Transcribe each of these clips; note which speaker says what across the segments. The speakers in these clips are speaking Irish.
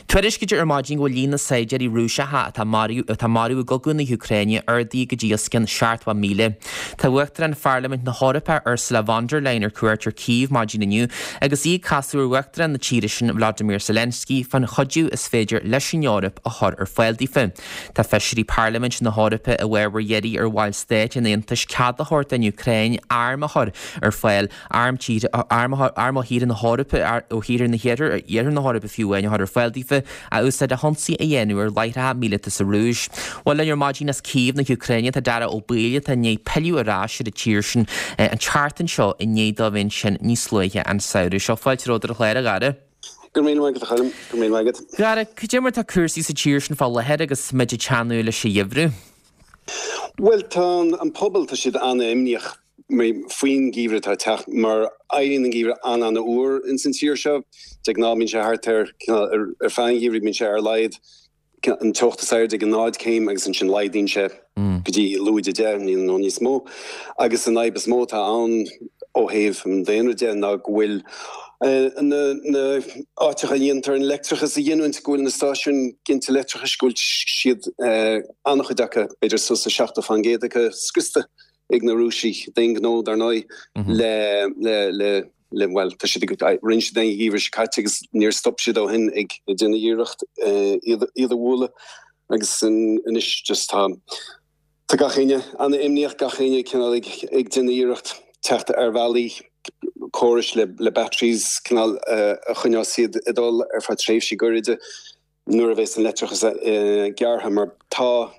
Speaker 1: Tuairiscítear ar maidin go bhfuil líon na saighdiúirí Rúiseacha atá atá marbh i gcogadh na hÚcráine ardaithe go dtí os cionn 70,000. Tá Uachtarán Pharlaimint na hEorpa, Ursula von der Leyen ar cuairt ar Kyiv maidin inniu agus í ag casadh ar Uachtarán na tíre sin Vladimir Zelensky fán chuidiú is féidir leis an Eoraip a chur ar fáil daofa. Tá feisirí Parlaimint na hEorpa i bhfabhar iarraidh ar bhallstáit an Aontais cead a thabhairt don Úcráin airm a chur ar fáil Airm tíre, airm ó thíortha na hEorpa, ó thíortha na hiarthar, iarthar na hEorpa fiú amháin, a chur ar fáil daofa, a úsáid le hionsaí a dhéanamh ar láithreacha míleata sa Rúis. Bhuel, linn ar maidin as Cív na hÚcráine tá Dara Ó Baoill atá i ndiaidh pilleadh ar ais ar an tír sin an tseachtain seo i ndiaidh dó a bheith ansin níos luaithe an samhradh seo. Fáilte romhat ar an chlár, a Dhara.
Speaker 2: Go raibh míle maith agat, a Choilm. Go raibh míle maith agat.
Speaker 1: Dhara, cad é mar atá cúrsaí sa tír sin fá láthair agus muid ag teannadh leis an gheimhreadh?
Speaker 2: Bhuel, tá an pobal, tá siad an-imníoch. faoin gheimhreadh atá ag teacht, mar éiríonn an geimhreadh an-an-fhuar ins an tír seo. De ghnáth bíonn sé thart ar, ar feadh an gheimhridh bíonn sé ar a laghad an teocht is airde ag 0 céim agus ansin laghdaíonn sé go dtí lúide 10 nó níos mó. Agus an fhadhb is mó atá ann ó thaobh an daonra de ná go bhfuil na na áiteacha a dhéantar an leictreachas a ghiniúint, go bhfuil na stáisiúin ginte leictreachais, go bhfuil siad an-chuid acu, b'fhéidir suas le 70% acu scriosta. ag na Rúisigh d'aon ghnó, dar ndóigh, le, le, le, le, bhuel, tá siad ag, rinne siad an geimhreadh seo caite agus níor stop siad ó shin ag déanamh iarracht iad, iad a bhualadh agus anois just tá, tá gach éinne an-imníoch, gach éinne cineál ag, ag déanamh iarracht teacht ar bhealaí, córais le, le batteries cineál a choinneos iad ag dul ar feadh tréimhsí gairide nuair a bheas an leictreachas gearrtha mar tá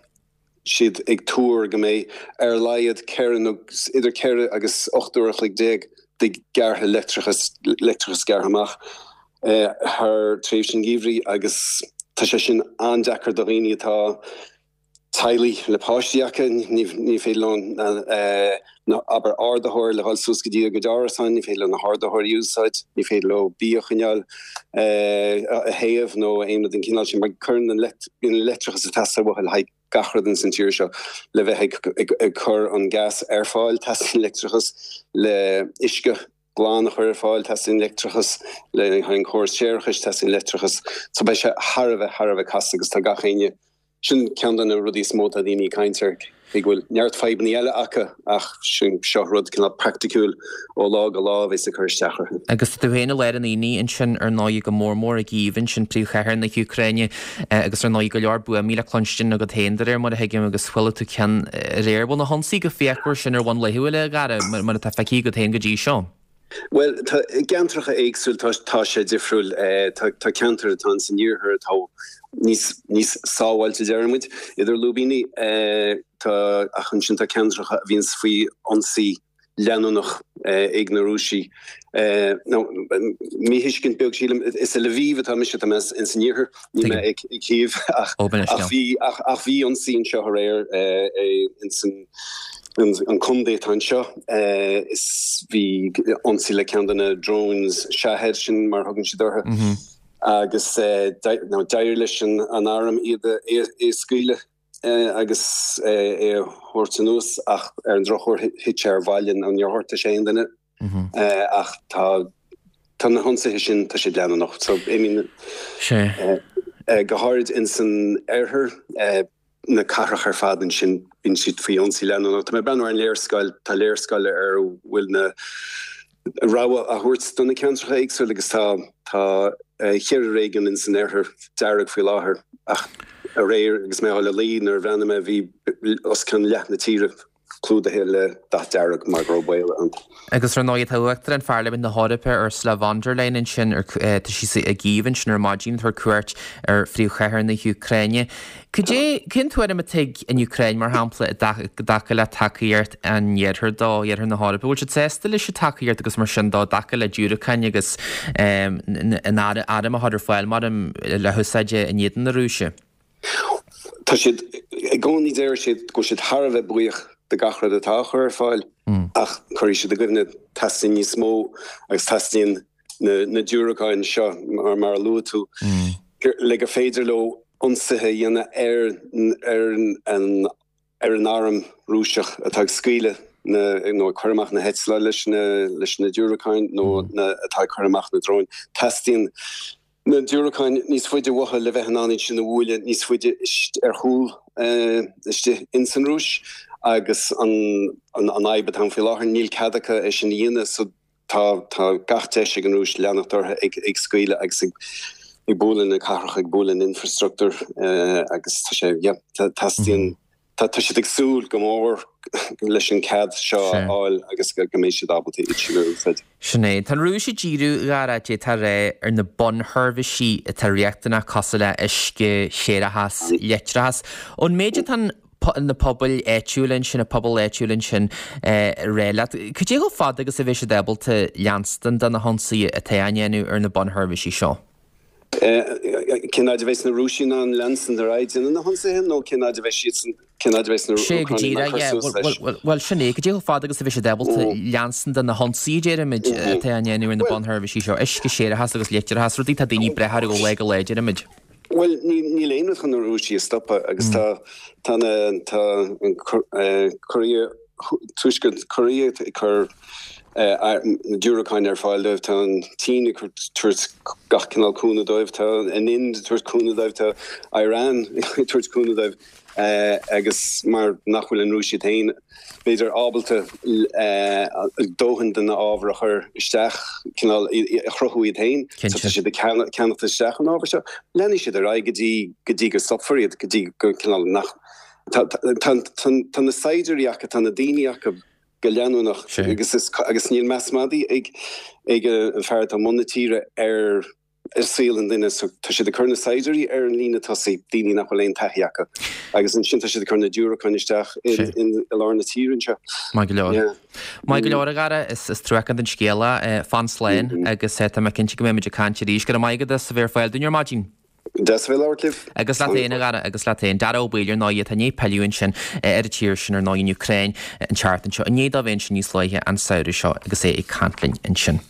Speaker 2: siad ag tuar go mbeidh ar a laghad 4 nó idir 4 agus 18 uair a chloig de gearrtha leictreachas, leictreachas gearrtha amach thar tréimhse an gheimhridh agus tá sé sin an-deacair do dhaoine atá teaghlaigh le páistí acu, ní féidir leo na, abair, ardaitheoir le dhul suas go dtí a gcuid árasáin, ní féidir leo na hardaitheoirí a úsáid, ní féidir leo bia a choinneáil a théamh nó aon rud den chineál sin mar cuireann an leictreachas ag teastáil uathu le haghaidh gach rud ins an tír seo le bheith ag cur an gas ar fáil, teastaíonn leictreachas le uisce glan a chur ar fáil, teastaíonn leictreachas le haghaidh an córas séarachais, teastaíonn leictreachas. So beidh sé thar a bheith, thar a bheith casta agus tá gach éinne, sin ceann de na rudaí is mó atá daoine ag caint air, cé go bhfuil neart fadhbanna eile acu ach sin, seo rud cineál praiticiúil ó lá go lá a bheas ag cur isteach orthu.
Speaker 1: Agus tá tú féin i lár an aonaigh ansin ar ndóigh go mór mór i gCív ansin, príomhchathair na hÚcráine agus ar ndóigh go leor buamaí le cluinstin agat féin de réir mar a thuigim agus chuala tú ceann aréir. Bhfuil na hionsaithe chomh fíochmhar sin ar bhonn laethúil a Dhara, mar atá feicthe agat féin go dtí seo?
Speaker 2: Bhuel, tá, i gceantracha éagsúil tá, tá sé difriúil. Tá, tá ceantair atá ins an iarthar atá níos, níos sábháilte déarfaidh muid, idir lúibíní. Tá, ach ansin tá ceantracha a bhíonns faoi ionsaí leanúnach ag na Rúisigh. Nó, míthuiscint beag sílim, is i Lviv atá mise, tá mé ins an iarthar, níl mé i Kyiv, ach bhí, ach bhí ionsaí anseo aréir ins an contae atá anseo, is bhí ionsaí le ceann de na drones Shahed sin mar a thugann siad orthu, agus d'éirigh leis an arm iad a scaoileadh. agus é a thabhairt anuas ach ar an drochuair thit sé ar bhaile nó níor ghortaigh sé aon duine ach tá tá na hionsaithe sin tá siad leanúnach so I mean go háirid ins an oirthear na cathracha ar fad ansin bíonn siad faoi ionsaí leanúnach. Tá mé ag breathnú ar an léarscáil, tá léarscáil ar a bhfuil na rabhadh á thabhairt do na ceantracha éagsúla agus tá tá cheithre réigiún ins an oirthear dearg faoi láthair ach aréir agus mé ag dul a luí nuair a bhreathnaigh mé bhí os cionn leath na tíre clúdaithe le dath dearg mar go raibh baol ann.
Speaker 1: Agus ar ndóigh tá Uachtarán Pharlaimint na hEorpa Ursula von der Leyen ansin ar tá sí i gCív ansin ar maidin ag tabhairt cuairt ar phríomhchathair na hÚcráine. Cad é, cén tuairim atá ag an Úcráin, mar shampla, i dtaca le tacaíocht an Iarthair dó, Iarthar na hEorpa? Bhfuil siad sásta leis an tacaíocht agus mar sin dó, i dtaca le diúracáin agus an airm a chur ar fáil mar le húsáid in éadan na Rúise?
Speaker 2: Tá siad, i gcónaí deir siad go bhfuil siad thar a bheith buíoch de gach rud atá á chur ar fáil ach cuirfidh siad i gcuimhne, teastaíonn níos mó agus teastaíonn na diúracáin seo, mar a luaigh tú, le gur féidir leo ionsaithe a dhéanamh ar ar an arm Rúiseach atá ag scaoileadh na, nó ag cur amach na heitleáin leis na leis na diúracáin nó na atá ag cur amach na dróin. Teastaíonn. Na diúracáin níos faide uathu le bheith in ann iad sin a bhualadh níos faide ar chúl istigh ins an Rúis agus an fhadhb atá ann faoi láthair, níl cead acu é sin a dhéanamh so tá tá gach deis ag an Rúis leanacht orthu ag ag scaoileadh agus ag ag bualadh na cathracha, ag bualadh an infrastruchtúr agus tá sé, yeah, teastaíonn Tá siad ag súil go mór leis an cead seo a fháil agus go mbeidh siad ábalta iad sin a úsáid.
Speaker 1: Sin é. Tá an Rúis ag díriú, a Dhara, d'fhéadfá a rá, ar na bunsheirbhísí atá riachtanach cosúil le uisce, séarachas, leictreachas. Ón méid atá na pobail áitiúla ansin, na pobail áitiúla ansin ag rá leat, cad é chomh fada agus a bheidh siad ábalta leanstan de na hionsaithe atá á ndéanamh ar na bunsheirbhísí seo?
Speaker 2: Cén fhaid a bheas na Rúisigh in ann leanstan ar aghaidh déanamh na hionsaithe nó cén fhaid a bheidh siadsan, cén fhaid a bheas na
Speaker 1: Sé go
Speaker 2: Úcránaigh in ann
Speaker 1: díreach,
Speaker 2: cur
Speaker 1: yeah.
Speaker 2: suas leis?
Speaker 1: Bhuel, bhuel, sin é, cad é chomh fada agus a bheidh siad ábalta leanstan de na hionsaithe, déarfaimid, atá á ndéanamh ar na bunsheirbhísí seo, uisce, séarachas agus leictreachas, rudaí atá daoine ag brath orthu ó lá go lá, déarfaimid.
Speaker 2: Bhuel, níl aon rud chun na Rúisigh a stopadh agus tá, tá na, tá an Cóiré, Tuaisceart Cóiré ag cur na diúracáin ar fáil dóibh, tá an tSín ag tabhairt gach cineál cúnamh dóibh, tá an Ind ag tabhairt cúnamh dóibh, tá Iran ag tabhairt cúnamh dóibh agus mar nach bhfuil an Rúis iad féin, b'fhéidir, ábalta dóthain de na ábhair a chur isteach, cineál a chruthú iad féin, so tá siad ag ceannacht isteach an ábhar seo. Leanfaidh siad ar aghaidh go dtí go dtí go stopfar iad, go dtí go cineál nach Tá tá na saighdiúirí acu, tá na daoine acu go leanúnach agus agus níl meas madaidh ag ag an fear atá i mbun na tíre ar ar saol an duine so tá siad ag cur na saighdiúirí ar an líne tosaigh, daoine nach bhfuil aon taithí acu agus ansin tá siad ag cur na diúracáin isteach in i lár na tíre anseo.
Speaker 1: Maith go leor. Maith go leor a Dhara, is is truacánta an scéal é. Fan slán agus tá mé cinnte go mbeimid ag caint arís. Go raibh maith agat as a bheith ar fáil dúinn ar maidin.
Speaker 2: Deas a bheith ag labhairt libh.
Speaker 1: Agus leat féin, a Dhara, agus leat féin. Dara Ó Baoill, ar ndóigh, atá i ndiaidh pilleadh ansin ar an tír sin, ar ndóigh, an Úcráin, an tseachtain seo, i ndiaidh dó bheith ansin níos luaithe an samhradh seo agus é ag caint linn ansin.